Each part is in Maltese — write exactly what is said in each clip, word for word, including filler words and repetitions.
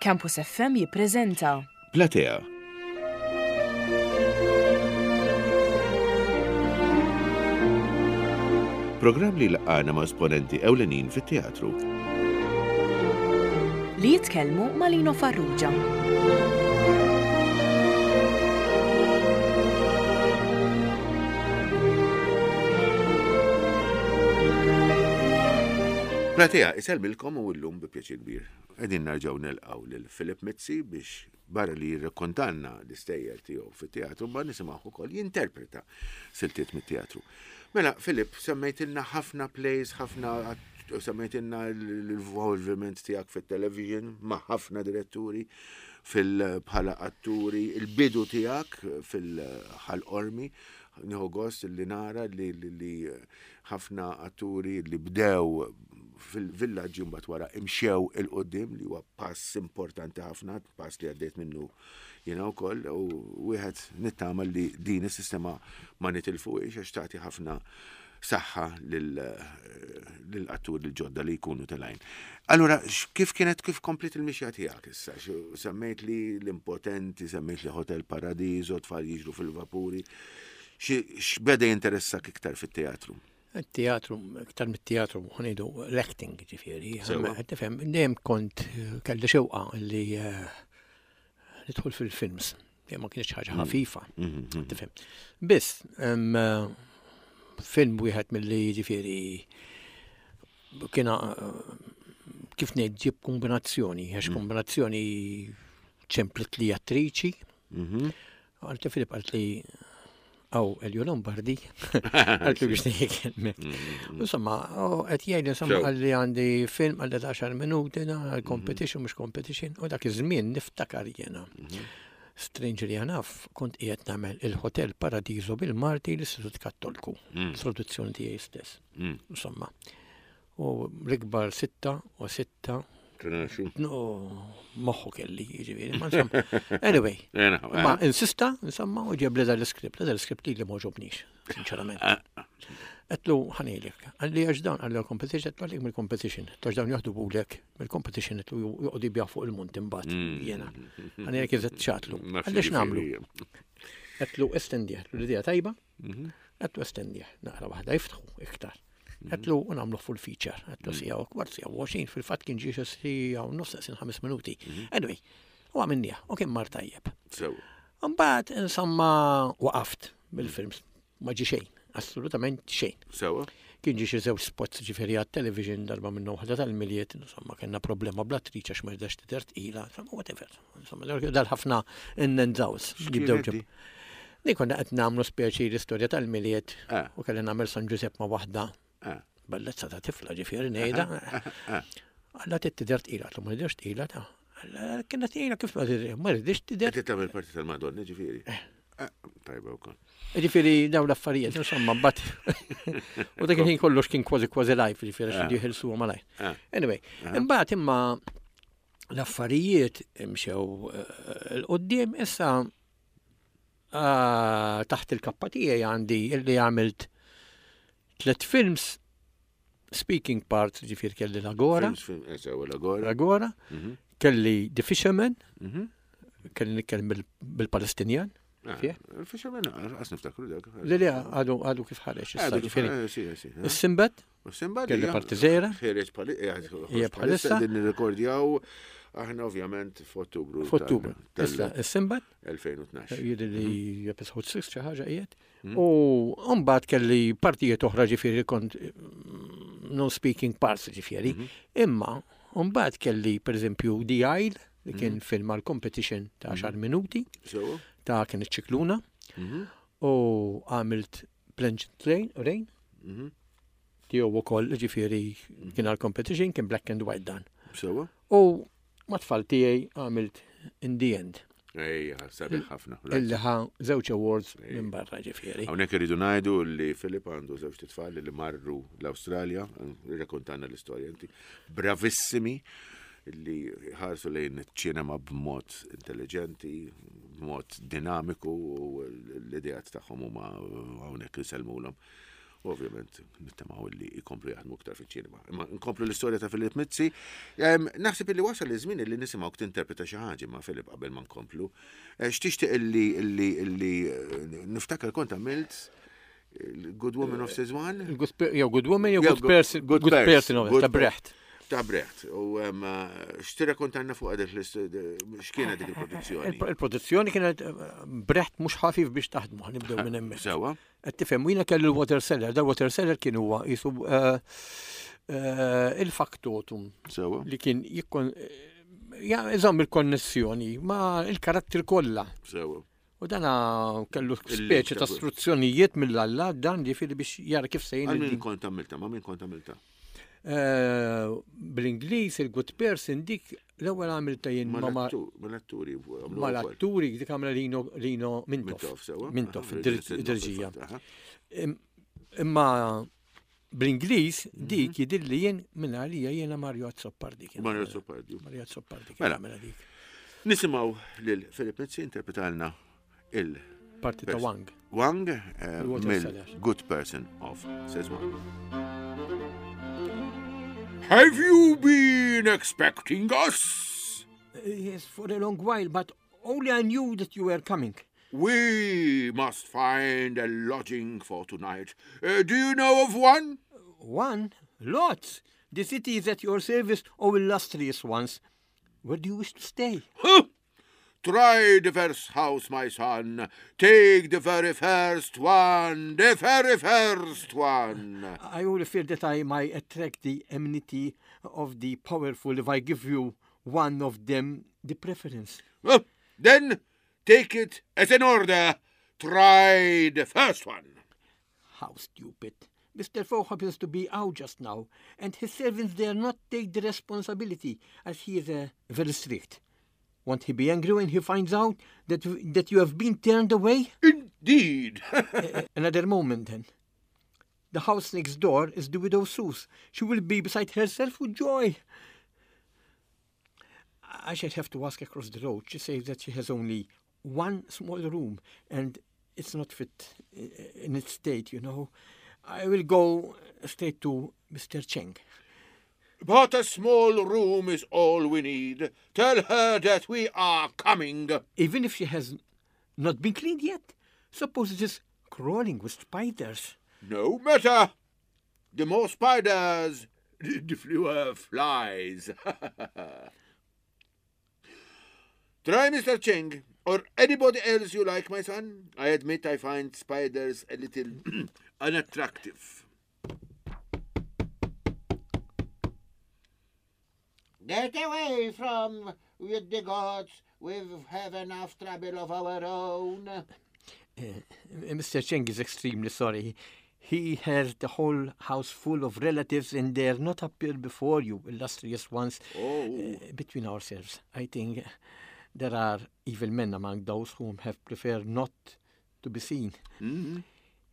Campus F M jippreżenta Platea. Programm li laqana ma' esponenti ewlenin fit-teatru. Li jitkellmu ma' Lino Farrugia. Platea, isellmilkom u llum bi pjaċir kbir. Qegħdin nerġgħu nilqgħu lil Philip Mizzi biex barra li jirrakkontanna l-istejjer tiegħu fit-teatru, ma nisimgħu ukoll jinterpreta siltiet mit-teatru. Mela, Philip, semmejtilna ħafna plays, ħafna semmejtilna l-involviment tiegħek fit-television ma' ħafna diretturi fil bħala atturi, il-bidu tiegħek fil-Ħal Qormi, nieħu gost li nara li, li, li ħafna atturi li bdew fil-villaġġi mbagħad wara imxew 'il quddiem, li huwa pass importanti ħafna, pass li għaddejt minnu jiena wkoll, u wieħed nittama li din is-sistema ma nitilfuhiex għax tagħti ħafna saħħa lill-atturi l-ġodda li jkunu telgħin. Allura, kif kienet, kif komplit il-mixja tiegħek issa? Semmejt li l-Impotenti, semmejt li Hotel Paradiso, Tfal jiġru fil-vapuri. X'beda jinteressak iktar fit-teatru? Il-teatru, iktar mit-teatru, ħa ngħidu l-acting, ġifieri. Tifhem, dejjem kont kelli xewqa li eh, nidħol fil-films. Ma kienx ħaġa mm. ħafifa. Mm, mm, tifhem. Biss, film wieħed mill-li ġifieri kiena, kif ngħid, ġib kombinazzjoni, għax kombinazzjoni ċemplet li attriċi. Mm-hmm. Għalt Filip, għalt li għaw Elio Lombardi, għalt li biex nejkelmek. Insomma, qed jgħid, insomma, għalli għandi film għalli għaxar minuti, għal competition, mhux competition, u dak iż-żmien niftakar jena. Strangely enough, kont qiegħed nagħmel il-Hotel Paradiso bil-Marti l-Istitut Kattolku, mm. produzzjoni tiegħi stess. Mm. Insomma, u l-ikbar sitta u sitta. No, moħħu kelli, ġifieri. Ma insomma, anyway, ma insista, insomma, u ġeb li dal-iskript, dal-iskript li li m'għoġobnix, sinċerament. Ah. Għedtlu ħa ngħidlek, għalli għax dawn għalli competition, għedtlu għalik mill-competition, għax dawn jaħdu bulek mill-competition, għedtlu joqogħdu jbigħu fuq il-munt imbagħad, mm. jena. Ħa ngħidlek eżatt x'għedtlu. Għalli x'nagħmlu? Għedtlu estendih, għedtlu l-idea tajba, mhm. għedtlu estendih, naqra waħda jiftħu iktar. Mhm. Għedtlu u nagħmlu full feature, għedtlu mm. siegħa u kwart, siegħa u għoxrin, fil-fatt kien ġie siegħa u nofs sin ħames minuti. Mhm. Anyway, u għamilnieh, u kien mar tajjeb. Mbagħad, insomma, waqaft bil-films, ma ġi xejn, assolutament xejn. Sewa. Kien ġi xi żewġ spots, ġifieri għat-television, darba minnhom waħda tal-Milied, insomma, kellna problema bl-attriċi għax ma rridx tidher tqila, insomma, whatever. Insomma, dal-ħafna in and outs jibdew ġib. Ni konna qed nagħmlu speċi l-istorja tal-Milied ah. u kelli nagħmel San Ġusepp ma' waħda. Ah. Bellezza ta' tifla, ġifieri ngħidha. Ah. Alla tidher tqila, ma tidherx tqila ta' kienet tqila, kif ma rridx tidher. Qed tagħmel parti tal-Madonna, ġifieri. Eh. Tajba wkoll. Ġifieri daw l-affarijiet, insomma, bat. U dak il-ħin kollox kien kważi kważi live, ġifieri xi jieħilsu malaj. Anyway, imbagħad imma l-affarijiet imxew eh, 'l quddiem issa ah, taħt il-kappa tiegħi għandi illi għamilt tliet films speaking parts, ġifieri kelli l-Agora. Eh, L-Agora. Mhm. Kelli The Fisherman, mhm. kelli nitkellem bil-Palestinjan. Ah, Il-Fisherman, għas niftakru dak. Li li għadu għadu kif ħareġ. Is-Simbad. Simbad. Kelli parti żgħira. Ħareġ bħalissa. Din nirrekordjaw aħna ovvjament f'Ottubru. F'Ottubru. Issa, is-Simbad. elfejn u tnax. Jidher li episode sitta xi ħaġa qiegħed. Mhm. U mbagħad kelli partijiet oħra, ġifieri kont mm, non speaking parts, ġifieri. Mhm. Imma mbagħad kelli pereżempju The Isle, li kien mhm. film għal competition ta' għaxar minuti. Ta' kien iċ-ċikluna. U għamilt Plungent Rain. Tiegħu ukoll, ġifieri kien għal competition, kien black and white dan. U ma' tfal tiegħi għamilt In the End. Ejja, sabiħ ħafna. Illi ħa żewġ awards minn barra, ġifieri. Hawnhekk irridu ngħidu li Filip għandu żewġ tfal li marru l-Awstralja, rrakkontanna l-istorja inti. Bravissimi, li ħarsu lejn ċinema b'mod intelligenti, b'mod dinamiku, u l-ideat tagħhom huma hawnhekk insellmulhom. Ovvjament, nittamaw li jkomplu jaħdmu iktar fiċ-ċinema. Imma nkomplu l-istorja ta' Philip Mizzi. Naħseb illi wasal iż-żmien illi nisimgħu tinterpreta xi ħaġa ma' Philip qabel ma nkomplu. Eh, x'tixtieq illi illi illi eh, niftakar kont għamilt Good Woman of Szechuan? Jew Good Woman jew Good Person, Good Person ta' Brecht. Ta' Brecht. U x'tirrakkontanna fuq għadek x'kienet dik il-produzzjoni? Il-produzzjoni kienet Brecht mhux ħafif biex taħdmu, nibdew minn hemmhekk. Sewa. Qed tifhem, jiena kellu l-water seller, da water seller kien huwa jisu eh, eh, il-factotum. Sewa. Li kien jikkon iżomm il-konnessjoni ma' il-karattri kollha. Sewa. U dana kellu speċi ta' istruzzjonijiet mill-alla dan ġifieri biex jara kif sejn. Għal min kont għamilta, ma' min kont għamilta? Eh, bl-Ingliż il-Good Person dik l-ewwel għamilta jien ma' mal-atturi. Mal-atturi dik għamla Lino Lino Mintoff. Mintoff, id-dirġija. Imma bl-Ingliż dik mhm. jidilli jien minn għalija jiena Mario Azzopardi. Mario Azzopardi. Mario Azzopardi. Mela. Nisimgħu lil Philip Mizzi interpretalna il Parti ta' Wang. Wang eh, mill Good Person of Szechuan. Have you been expecting us? Uh, yes, for a long while, but only I knew that you were coming. We must find a lodging for tonight. Uh, do you know of one? One? Lots. The city is at your service, O illustrious ones. Where do you wish to stay? Huh! Try the first house, my son. Take the very first one, the very first one. I only fear that I might attract the enmity of the powerful if I give you one of them the preference. Well, then take it as an order. Try the first one. How stupid. Mister Fogg happens to be out just now, and his servants dare not take the responsibility, as he is uh, very strict. Won't he be angry when he finds out that, that you have been turned away? Indeed. uh, another moment, then. The house next door is the widow Su's. She will be beside herself with joy. I shall have to ask across the road. She says that she has only one small room, and it's not fit in its state, you know. I will go straight to Mister Cheng. But a small room is all we need. Tell her that we are coming. Even if she has not been cleaned yet? Suppose it is crawling with spiders. No matter. The more spiders, the fewer flies. Try Mister Cheng or anybody else you like, my son. I admit I find spiders a little unattractive. Get away from with the gods. We've have enough trouble of our own. Uh, Mister Cheng is extremely sorry. He has the whole house full of relatives and they are not appeared before you, illustrious ones. Oh. Uh, between ourselves, I think there are evil men among those whom have preferred not to be seen. Mm-hmm.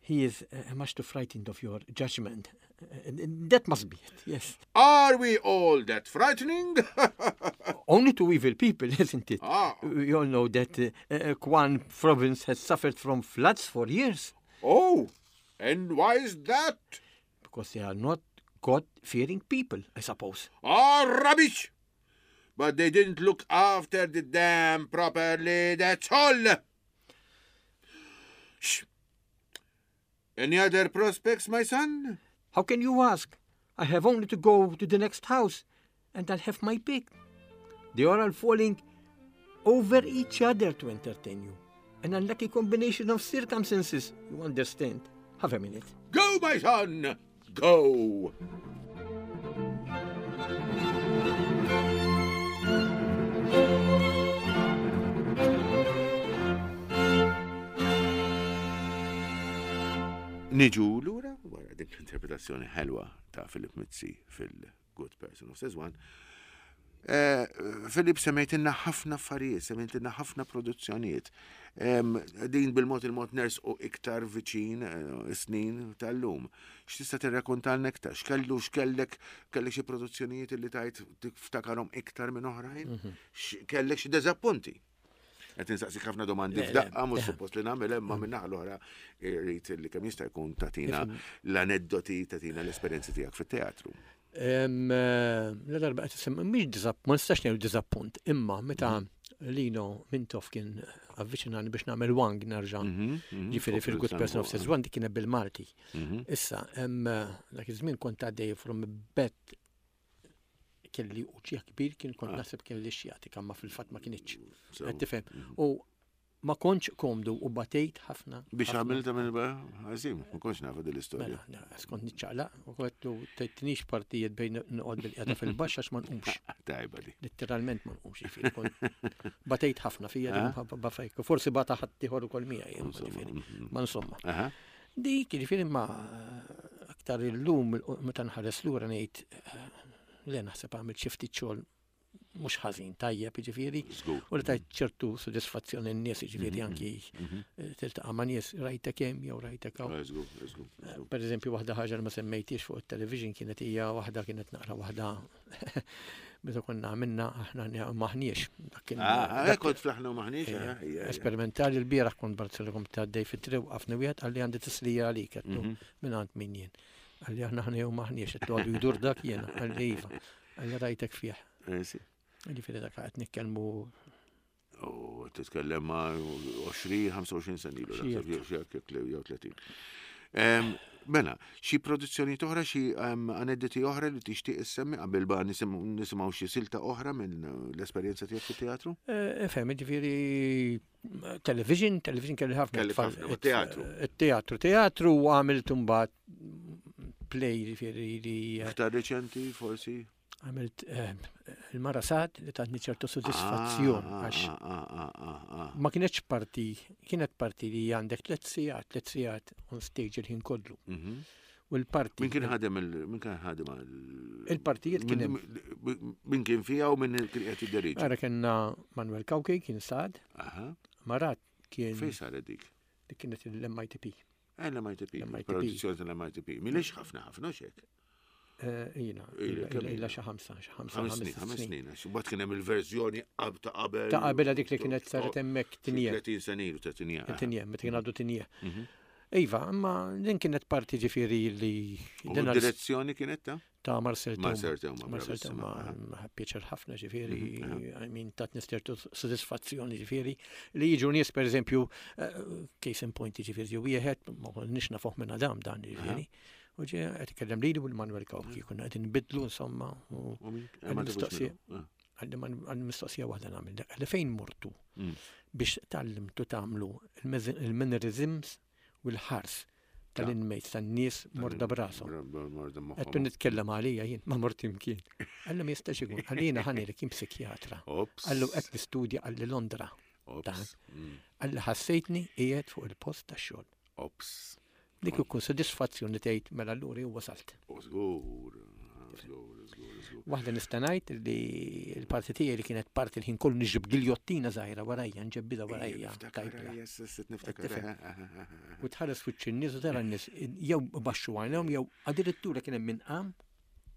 He is uh, much too frightened of your judgment. Uh, that must be it, yes. Are we all that frightening? Only to evil people, isn't it? Ah. We all know that uh, uh, Quan province has suffered from floods for years. Oh, and why is that? Because they are not God-fearing people, I suppose. Ah, rubbish! But they didn't look after the dam properly, that's all. Shh. Any other prospects, my son? How can you ask? I have only to go to the next house, and I'll have my pick. They are all falling over each other to entertain you. An unlucky combination of circumstances, you understand. Have a minute. Go, my son! Go! Niġu lura wara dik l-interpretazzjoni ħelwa ta' Philip Mizzi fil-Good Person of Szechuan. Philip, semmejtilna ħafna affarijiet, semmejtilna ħafna produzzjonijiet. Din bil-mod il-mod nersqu iktar viċin snin tal-lum. X'tista' tirrakkontalna iktar? X'kellu, x'kellek, kellek xi produzzjonijiet li tajt tiftakarhom iktar minn oħrajn? Kellek xi deżappunti? Qed insaqsik ħafna domandi Le, le, f'daqqa, mhux le. suppost li nagħmel, imma minn naħa l-oħra irrid li kemm jista' jkun tagħtina l-aneddoti, tagħtina l-esperjenzi tiegħek fit-teatru. Em, eh, La darba qed isemmi mhix diżapp, ma nistax ngħidu diżappunt, imma meta Lino Mintoff kien avviċinani biex nagħmel Wang nerġa'. Ġifieri fil-Good Person of Szechuan, dik kienet bil-Malti. Issa, em, dak iż-żmien kont għaddej from bed, kelli uġigħ kbir, kien kont naħseb kelli xjatika, ma fil-fatt ma kinitx. Qed tifhem? U ma kontx komdu u batejt ħafna. Biex ħafna. għamilta minn ħażin, ma kontx nafa din l-istorja. Mela, na, skont niċċaqlaq, u għedtlu ttinix partijiet bejn noqgħod bil-qiegħda fil-baxx għax ma nqumx. Tajba di. Literalment ma nqumx, ġifieri. Kont batejt ħafna fija din bafajk. Forsi bata ħadd ieħor ukoll miegħi, imma ġifieri. Ma insomma. Aha. Dik, ġifieri, ma aktar illum meta nħares lura ngħid eh, le, naħseb għamilt xi ftit xogħol mhux ħażin, tajjeb, ġifieri. Żgur. U li tajt ċertu sodisfazzjoni n-nies, ġifieri, anki eh, tiltaqa' ma' nies, rajtek hemm jew rajtek hawn. Żgur, żgur. żgur. Per eżempju, waħda ħaġa li ma semmejtix fuq il-television kienet hija waħda, kienet naqra waħda meta konna għamilna Aħna M'Aħniex. Dak kien- Ah, dak- kont fl-Aħna u M'Aħniex, eh, hija, hija. Esperimentali. L-bieraħ kont Barcelona ta' dej fit-triq, waqafni wieħed, qalli għandi tislija għalik, għedtlu minn għand min jien. Qalli aħna aħna jew m'aħniex, għedtlu għadu jdur dak jiena, qalli iva. Qalli rajtek fih. Eh, sì. Ġifieri dak qed nitkellmu U titkellem ma' għoxrin, ħamsa u għoxrin sena ilu, Xi naħseb, jew xi hekk jew tletin. Em, Mela, xi produzzjoni oħra, xi em, aneddoti oħra li tixtieq issemmi qabel ba nisim- nisimgħu xi silta oħra minn l-esperjenza tiegħek fit-teatru? Eh, Fhem, ġifieri television, television kelli ħafna. Kelli tfal- ħafna, u teatru. Teatru, teatru u għamilt mbagħad play, ġifieri li eh, Aktar reċenti, forsi? Għamilt eh, il-Mara Saad li tatni ċertu sodisfazzjon Ah, għax ah, ah, ah, ah, ah. ma kienx parti, kienet parti li għandek tliet sigħat, tliet sigħat on stage il-ħin kollu. Mhm. U l-parti. Min kien ħadem il min kien ħadem għal Il-partijiet kien hemm. Min min kien fija u min kien qed jidderieġi? Ara, kellna Manuel Cauchi kien Saad, Aha. Marat kien Fejn saret dik? Dik kienet l-M I T P. Eh, L-M I T P, L-M I T P. Produzzjoni tal-M I T P. Milix ħafna ħafna xek. Eh, Ila, Ila, ila, kemm ila ila? xi ħamsa, xi ħamsa, Ħames snin, ħames snin. Għax Mbagħad kien hemm il-verżjoni qab ta' qabel. Ta' qabel dik li kienet saret hemmhekk Tignè. tletin sena ilu ta' Tignè. Tignè, meta kien għadu Tignè. Mhm. Iva, imma din kienet parti ġifieri li U din għal- direzzjoni kienet ta' ta' Marcel Theuma. Marcel Theuma, Marcel bravissima, Theuma, aha, pjaċir ħafna ġifieri, I mean, tatni ċertu sodisfazzjoni ġifieri li jiġu nies, per eżempju, eh, case in point, ġifieri ġew wieħed, ma konniex nafuh minn Adam dan ġifieri. U ġie qed ikellem lili u l-Manuel Cauchi, konna qed nbidlu insomma u U min- Għandi ma tafux mistoqsija. minnu. Ah. Għalli għandi mistoqsija waħda nagħmel. Għalli fejn mortu Mm. biex tgħallimtu tagħmlu il-mannerisms u l-ħars tal-inmates, tan-nies morda brashom? Morda moħħhom. Għedtlu nitkellem għalija jien, ma mort imkien. Qalli ma jistax ikun, qalli jiena ħanilek jien psikjatra. Ops. Qallu qed nistudja, qalli Londra. Ops. Mm. Qalli ħassejtni qiegħed fuq il-post tax-xogħol. Ops. Dik ikun sodisfazzjoni tgħid mela allura jew wasalt. U żgur, żgur, żgur, żgur. Waħda nista' ngħid li l-parti tiegħi li kienet parti l-ħin kollu niġib giljottina żgħira warajja, nġebbidha warajja. Niftakar, tajbla. yes, yes, niftakar. Tifhem. eh, eh, eh, eh. U tħares fuq in-nies u tara n-nies jew baxxu għajnehom jew addirittura kien hemm min qam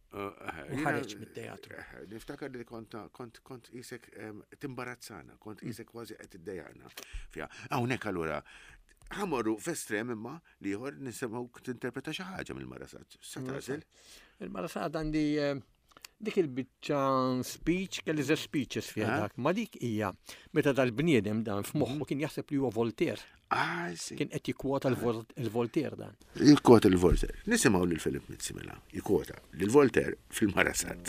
Uh, u ħareġ mit-teatru. Eh, Niftakar li kont kont kont isek em, timbarazzana, kont isek kważi qed iddejjaqna fiha. Hawnhekk allura ħa mmorru f'estrem imma li ieħor, nisimgħu tinterpreta xi ħaġa mill-Mara Saad. Sa tagħżel? Il-Mara Saad għandi eh, dik il-biċċa speech, kelli ze speeches fiha Ah. dak, ma dik hija meta dal-bniedem dan f'moħħu kien jaħseb li huwa Voltaire, Ah, sì. kien qed jikkwota l-Vol- il-Voltaire dan. Jikkwota l-Voltaire. Nisimgħu lil Philip Mizzi mela. Jikkwota lil Voltaire fil-Mara Saad.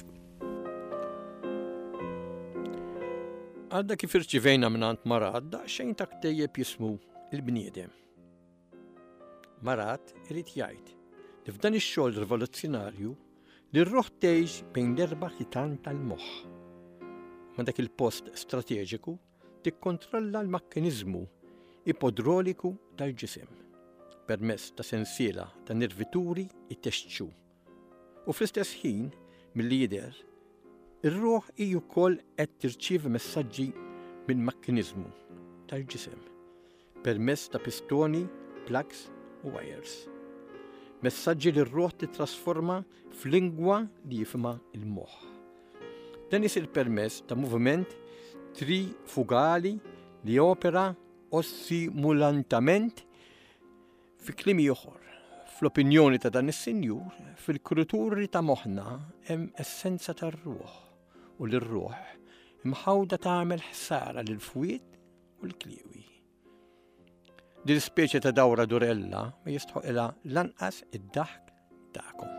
Għadda kif irċivejna minn Marat daqsxejn ta' ktejjeb jismu Il-Bniedem. Marat irid jgħid li f'dan ix-xogħol rivoluzzjonarju li r-ruħ tgħix bejn l-erba' ħitan tal-moħħ. Ma dak il-post strateġiku tikkontrolla l-mekkaniżmu ipodrauliku tal-ġisem permezz ta' sensiela ta' nervituri itexxu. U fl-istess ħin, milli jidher, ir-ruħ hi wkoll qed tirċievi messaġġi minn mekkaniżmu tal-ġisem permezz ta' pistoni, plugs u wires. Messaġġi li r-ruħ titrasforma f'lingwa li jifhimha il-moħħ. Dan isir permezz ta' moviment trifugali Li opera ossimulantament fi kliem ieħor. Fl-opinjoni ta' dan is-sinjur, fil-kruturi ta' moħħna hemm essenza tar-ruħ u l-ruħ imħawda tagħmel ħsara lil fwied u l-kliewi. Din speċi ta' dawra durella ma jistħoqilha lanqas id-daħk tagħkom.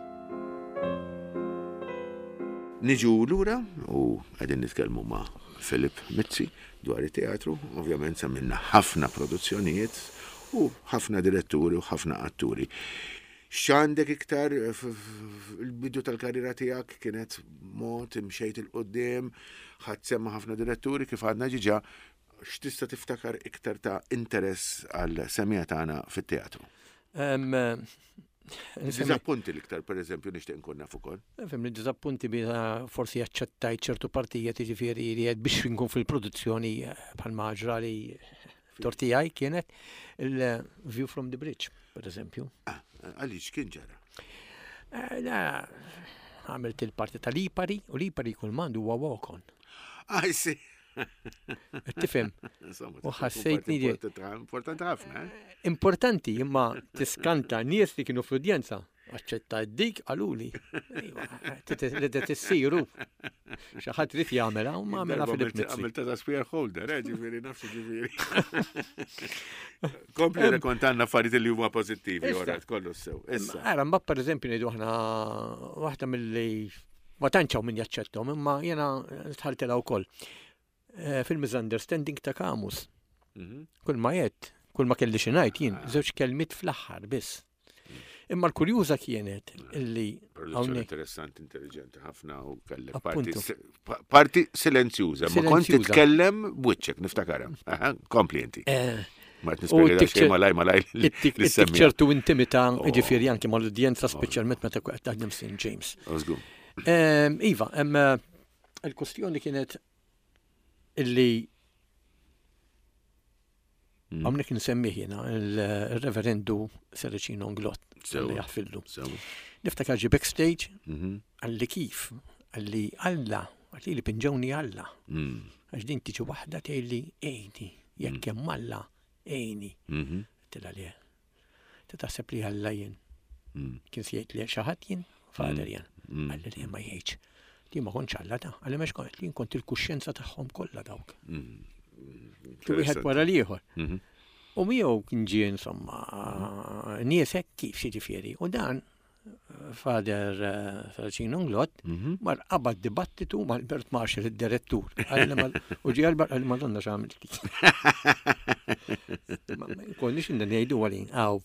Niġu lura u qegħdin nitkellmu ma' Philip Mizzi dwar it-teatru, ovvjament semmilna ħafna produzzjonijiet u ħafna diretturi u ħafna atturi. X'għandek iktar il-bidu tal-karriera tiegħek kienet mod imxejt 'il quddiem, ħadd semma ħafna diretturi kif għadna ġiġa, x'tista' tiftakar iktar ta' interess għal semija tagħna fit-teatru? Dizappunti l-iktar, per eżempju, nixtieq nkun naf ukoll. Fim li dizappunti bila forsi aċċettajt ċertu partijiet, jiġifieri li għed biex nkun fil-produzzjoni bħal maġra li tortijaj kienet il-View from the Bridge, per eżempju. Ah, għaliex kien ġara? Eh, għamilt il-parti tal-Lipari u Lipari kull mandu huwa walk-on. Ah, sì. Tifhem. U ħassejtni li. Importanti ħafna, eh? Importanti, imma tiskanta nies li kienu fl-udjenza. Aċċetta dik qaluli. Li tissiru. Xi ħadd irid jagħmilha u ma għamilha Philip Mizzi. Għamilta ta' spear holder, eh, ġifieri nafsu ġifieri. Kompli rekontanna affarijiet li huma pożittivi, ora kollu sew. Issa. Ara, mbagħad pereżempju ngħidu aħna waħda milli ma tantx hawn min jaċċettom, imma jiena tħaltilha wkoll. Eh, fil-misunderstanding ta' Camus. Mhm. Kull ma jett, kull ma kelli xi ngħid jien, żewġ kelmiet fl-aħħar biss. Imma l-kurjuża kienet illi Produzzjoni interessanti, intelligenti ħafna u kellek parti Appuntu. parti silenzjuża, ma kont Silenzjuża. titkellem b'wiċċek, niftakarha. Aha, Kompli inti. eh, Ma qed U nispjega tik- xejn malaj malaj ittik li ittik ċertu intimità, Oh. ġifieri anke mal-udjenza, speċjalment meta qed taħdem Saint James. Żgur. Em, Iva, em, eh, il-kustjoni kienet illi Mm. hawnhekk nsemmih jiena il-reverendu Serracino Inglott Sewa. li jaħfillu. Sewa. Niftakar ġi backstage, Mhm. għalli kif, għalli Alla, għalli li pinġewni Alla. Mm. Għax din tiġi waħda tgħidli ejni, jekk hemm Alla, ejni. Mhm. Tila li. Ta' taħseb li Alla jien. Mm. Kien se jgħid li xi ħadd jien, father jien. Mm. Għalli li ma jgħidx. Li ma kontx Alla ta' għalli mex kont, li kont il-kuxjenza tagħhom kollha dawk. Mm. Wieħed wara l-ieħor. Mhm. U miegħu kien ġie insomma nies hekk kif xi ġifieri. U dan Father Serracino Inglott Mhm. mar qabad dibattitu ma' Albert Marshall, id-direttur. Għalli ma- U ġie Albert għalli Madonna x'għamilti. Ma ma konniex inna ngħidu għalin għaw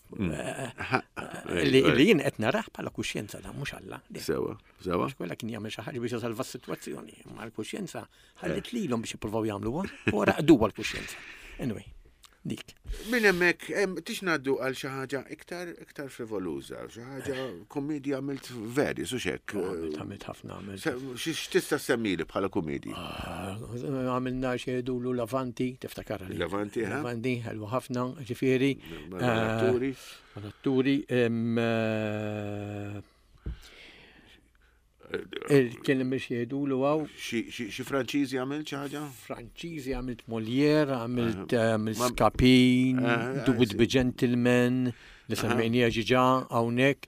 li li jien qed narah bħala kuxjenza da mhux Alla. Le, Sewa, sewa. Għax kollha kien jagħmel xi ħaġa biex jisalva s-sitwazzjoni, imma l-kuxjenza ħallit lilhom biex jippruvaw jagħmluha u raqduha l-kuxjenza. Anyway, dik. Minn hemmhekk em, tix ngħaddu għal xi ħaġa iktar iktar frivoluża, xi ħaġa komedja għamilt veri, su xek. Għamilt għamilt ħafna għamilt. Se- X'tista' semmili bħala komedji? Ah, Għamilna xi jgħidulu Lavanti, tiftakar li. Lavanti, ha? Lavanti, ħelwa ħafna, ġifieri. Mal-atturi. Mal-atturi. em, eh, il- Kien hemm xi jgħidulu għaw. Xi xi- xi Franċiżi għamilt xi ħaġa? Franċiżi għamilt Molière, għamilt għamilt Ma- Scapin, Ah, The Would Be Gentleman, li semmejnija ġiġa hawnhekk.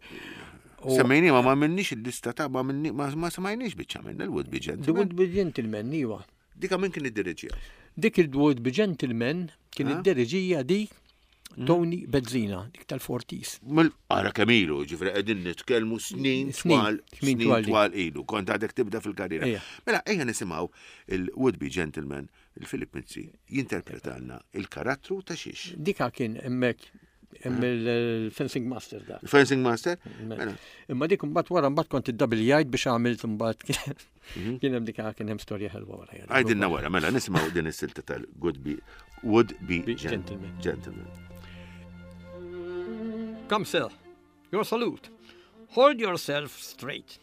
U Semmejni ma ma minnix il-lista ta' ma minni ma ma smajniex biċċa minn il-Would Be The Gentleman. Would Be Gentleman, iwa. Dika min kien id-diriġija? Dik il-Would Be Gentleman kien Ah. id-deriġija di Tony Bezzina, dik tal-Fortis. Mil ara kemm ilu, ġifri qegħdin nitkellmu snin Snin, twal, snin snin twal. twal ilu, kont għadek tibda fil-karriera. Ejja. Mela ejja nisimgħu il-Would Be Gentleman, il-Philip Mizzi, jinterpretalna il-karattru ta' xiex. Dika kien hemmhekk hemm il-fencing master dak. Fencing Master? Mela, Imma dik imbagħad wara mbagħad kont id-double biex għamilt imbagħad kien hemm dika kien hemm storja ħelwa wara. Għajdilna wara, mela nisimgħu din is-silta tal-Good Be Would Be Be Gen- Gentleman. Gentleman. Come, sir. Your salute. Hold yourself straight.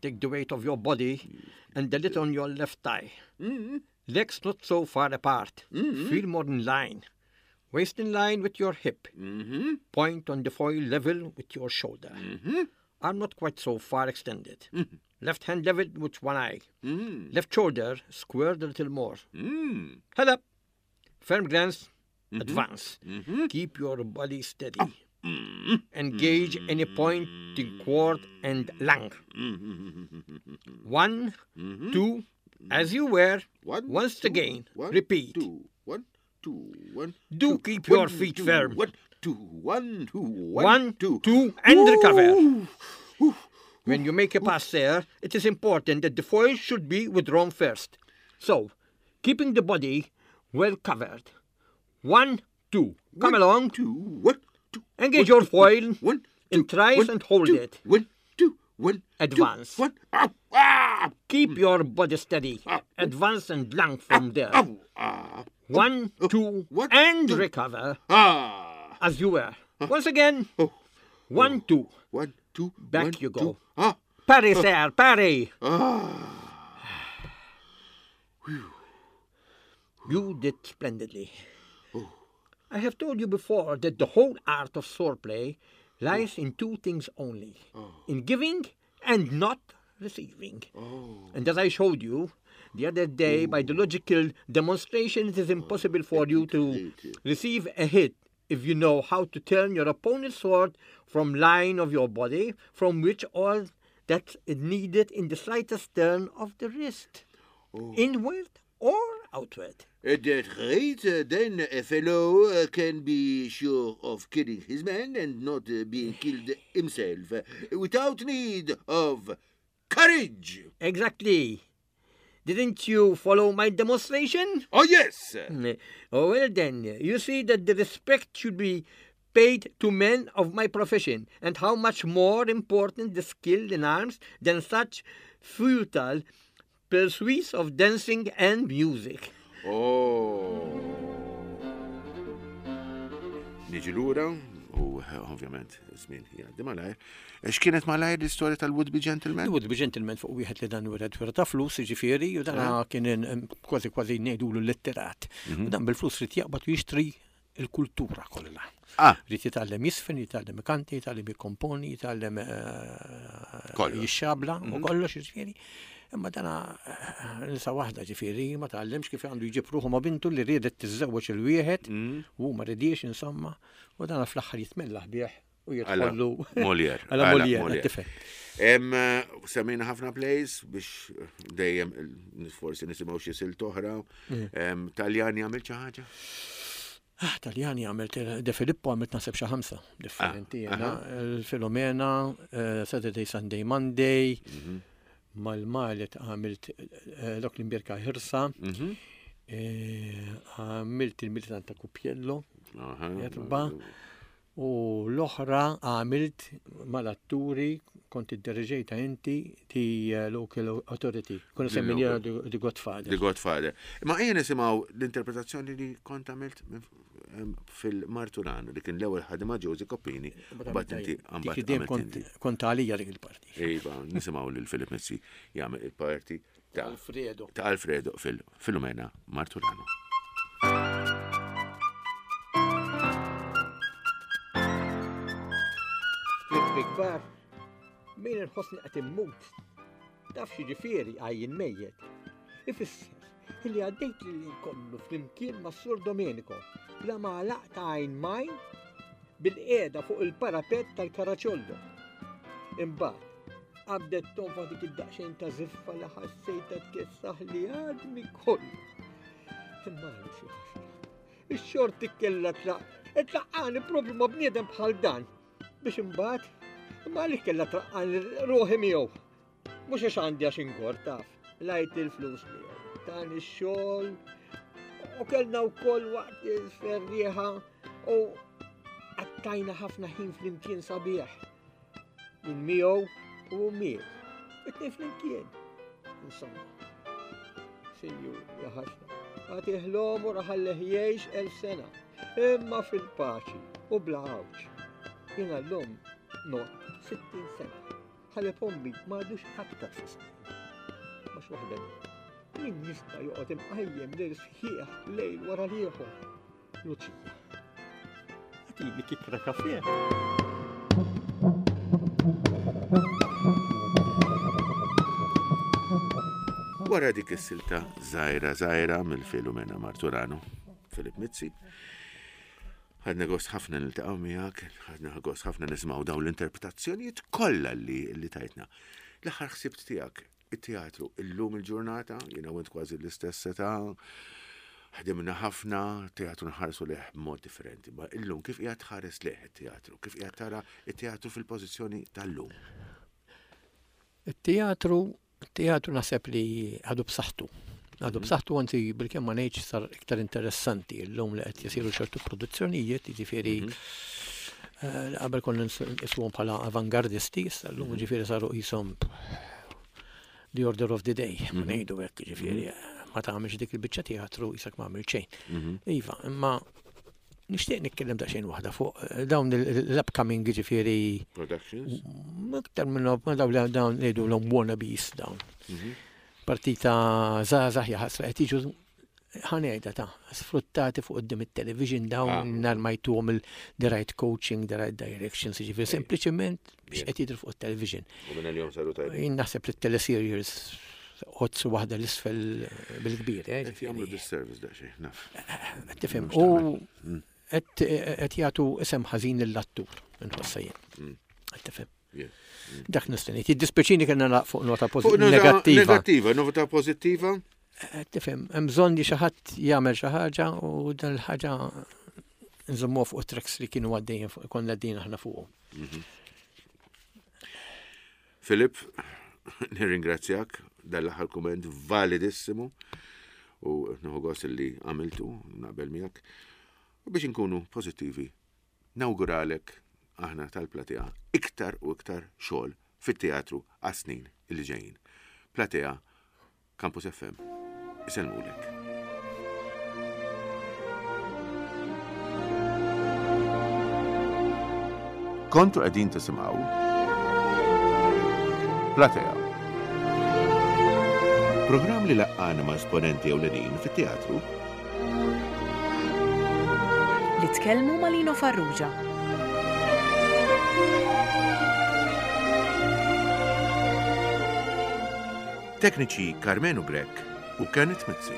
Take the weight of your body and the little on your left thigh. Legs not so far apart. Feel more in line. Waist in line with your hip. Point on the foil level with your shoulder. Arm not quite so far extended. Left hand level with one eye. Left shoulder squared a little more. Mm. Head up. Firm glance, advance. Keep your body steady. Engage any point in cord and lung. One, two, as you were. One, Once two, again, one, repeat. Two, one, two, one. Do two, keep your one, feet two, firm. One, two, one, two, one, One, two. two, and recover. Ooh. Ooh. When you make a pass there, it is important that the foil should be withdrawn first. So, keeping the body well covered. One, two. Come One, along. Two, one, two. Engage one, your foil One, in two, trice one, and hold two, it. One, two, one, two, Advance. one. Ow, ah, Keep your body steady. Advance and lung from there. ow, ah, One, two, one, and two. recover ah. as you were. Once again. Oh. One, two. One, two, Back one, you go. Two. Ah, Parry, sir, parry. ah. You did splendidly. I have told you before that the whole art of swordplay lies in two things only in giving and not receiving. And as I showed you the other day by the logical demonstration, it is impossible for you to receive a hit if you know how to turn your opponent's sword from line of your body, from which all that is needed in the slightest turn of the wrist, inward or outward. At that rate, uh, then a fellow uh, can be sure of killing his man and not uh, being killed himself uh, without need of courage. Exactly. Didn't you follow my demonstration? Oh, yes. Mm, Oh, well then, you see that the respect should be paid to men of my profession, and how much more important the skill in arms than such futile pursuits of dancing and music. Oh. Niġi lura, u eh, ovvjament, żmien jgħaddi malajr. X'kienet malajr l-istorja tal-Would Be Gentleman? Would be gentleman fuq wieħed li dan wieħed wera ta' flus, jiġifieri, u dan kien in- kważi kważi ngħidulu litterat. U dan bil-flus rid jaqbad u jixtri il-kultura kollha. Ah. Rid jitgħallem jisfen, jitgħallem ikanti, jitgħallem jikkomponi, jitgħallem eh, Kollox. jixxabla u kollox jiġifieri. Imma dana eh, nisa waħda ġifieri ma tgħallemx kif għandu jġib ruħu ma' bintu li riedet tiżżewweġ il-wieħed u ma ridiex insomma u dana fl-aħħar jitmellaħ bih u jidħollu Molière. Għala Għala Molière, Molière. tifel. Em, eh, Semmejna ħafna plays biex dejjem eh, forsi nisimgħu xi silt oħra. Em, Taljani għamil xi ħaġa? Ah, Taljani għamilt, De Filippo għamilt naħseb xi ħamsa differenti. jena. Il-Filomena, eh, Saturday, Sunday, Monday, mal-Malet għamilt eh, dok l-imbirka ħirsa, eh, għamilt il-Militant ta' Cupiello, Aha. erba, u l-oħra għamilt mal-atturi, kont id-diriġejta inti, ti eh, Local Authority, konna semminja The Godfather. The Godfather. Ma ejja nisimgħu l-interpretazzjoni li kont għamilt minn- em, fil-Marturano li kien l-ewwel ħadima Josie Coppini. Mbagħad inti Dik mbagħad id-dejjem għamilt kont inti. kont għalija dik il-parti. Iva, nisimgħu lil Filip Mizzi jagħmel il-parti ta' Alfredo. ta' Alfredo fil-Filomena Marturano. Big kbar, min inħossni qed immut. Taf xi ġifieri għajjin mejjet. Ifisser illi għaddejt li kollu flimkien ma' Sur Domenico bla ma għalaqt għajn majn bil-qiegħda fuq il-parapet tal-Karaċollo. Imbagħad qabdet tonfa dik id-daqsxejn ta' ziffa li ħassejta tkessaħ li għadmi kollu. Imma għaliex ħasra. Ix-xorti kellha tlaq, tlaqqani propju ma' bniedem bħal dan biex imbagħad imma għaliex kellha traqqani ruħi miegħu. Mhux għax għandi għax ingor taf, lajt il-flus miegħu, tani x-xogħol u kellna wkoll waqt il-ferrieħa u għattajna ħafna ħin flimkien sabiħ. Min miegħu u miegħu. It-tnejn flimkien. Insomma. Sinjur, ja ħasra. Għatih l-omor ħalleh jgħix elf sena. Imma fil-paċi u bla għawġ. Jena l-lum not sittin sena. Ħaleb ommi ma għadux aktar fi snin. Mhux waħda. Min jista' joqgħod imqajjem lil sħiħ lejl wara l-ieħor? Luċija. Għatini kikra kafe. Wara dik is-silta żgħira żgħira mill-Filomena Marturano, Philip Mizzi. Ħadna gost ħafna niltaqgħu miegħek, ħadna gost ħafna nisimgħu dawn l-interpretazzjonijiet kollha li li tajtna. L-aħħar ħsibt tiegħek, it-teatru illum il-ġurnata, jiena u int kważi l-istess età, ħdimna ħafna, teatru nħarsu lejh b'mod differenti. Ma illum kif qiegħed tħares lejh it-teatru, kif qiegħed tara it-teatru fil-pożizzjoni tal-lum? Il-teatru, il-teatru naħseb li għadu b'saħħtu. Għadu b'saħħtu, anzi bil-kemm ma ngħidx sar iktar interessanti llum li qed jisiru ċertu produzzjonijiet, jiġifieri eh, qabel konna nqisuhom bħala avangardisti, issa llum jiġifieri saru qishom the order of the day, ma ngħidu hekk, jiġifieri ma tagħmilx dik il-biċċa teatru qisek ma għamil xejn. Iva, imma nixtieq nitkellem daqsxejn waħda fuq eh, dawn l-upcoming jiġifieri Productions? aktar minn ma dawn li dawn ngħidu l wannabes dawn. Partita żgħażagħ jaħasra qed jiġu, ħa ngħidha ta', sfruttati fuq quddiem it-television dawn Ah. nar ma jtuhom il-the right coaching, the right directions, jiġifieri sempliċement biex qed jidhru fuq it-television. U minn il-jum saru tajbin. Jien naħseb li t-teleseries ħodsu waħda l-isfel bil-kbir, eh, Qed jagħmlu ġifieri. disservice daqsxejn, naf. Qed tifhem. Mhux U qed qed jagħtu isem ħażin lill-attur, inħossa jien. Qed tifhem. Yeah. Dak nistenni. Jiddispjaċini kellna nagħlaq fuq nota Fuq pożittiva. nota Negattiva. Negattiva, nota pożittiva. Qed Tifhem, hemm bżonn li xi ħadd jagħmel xi ħaġa u dan il-ħaġa nżommuha fuq tracks li kienu għaddejjin fuq konna għaddejjin aħna fuqhom. Filip, nirringrazzjak dal-aħħar kumment validissimu u nieħu gost li għamiltu naqbel miegħek. U biex inkunu pożittivi, nawguralek aħna tal-Platea iktar u iktar xogħol fit-teatru għas-snin li ġejjin. Platea, Campus F M, isellmulek. Kontu qegħdin tisimgħu Platea. Programm li laqqana ma' esponenti ewlenin fit-teatru Li tkellmu ma' Lino Farrugia. Tekniċi Carmenu Grech u Kenneth Mizzi.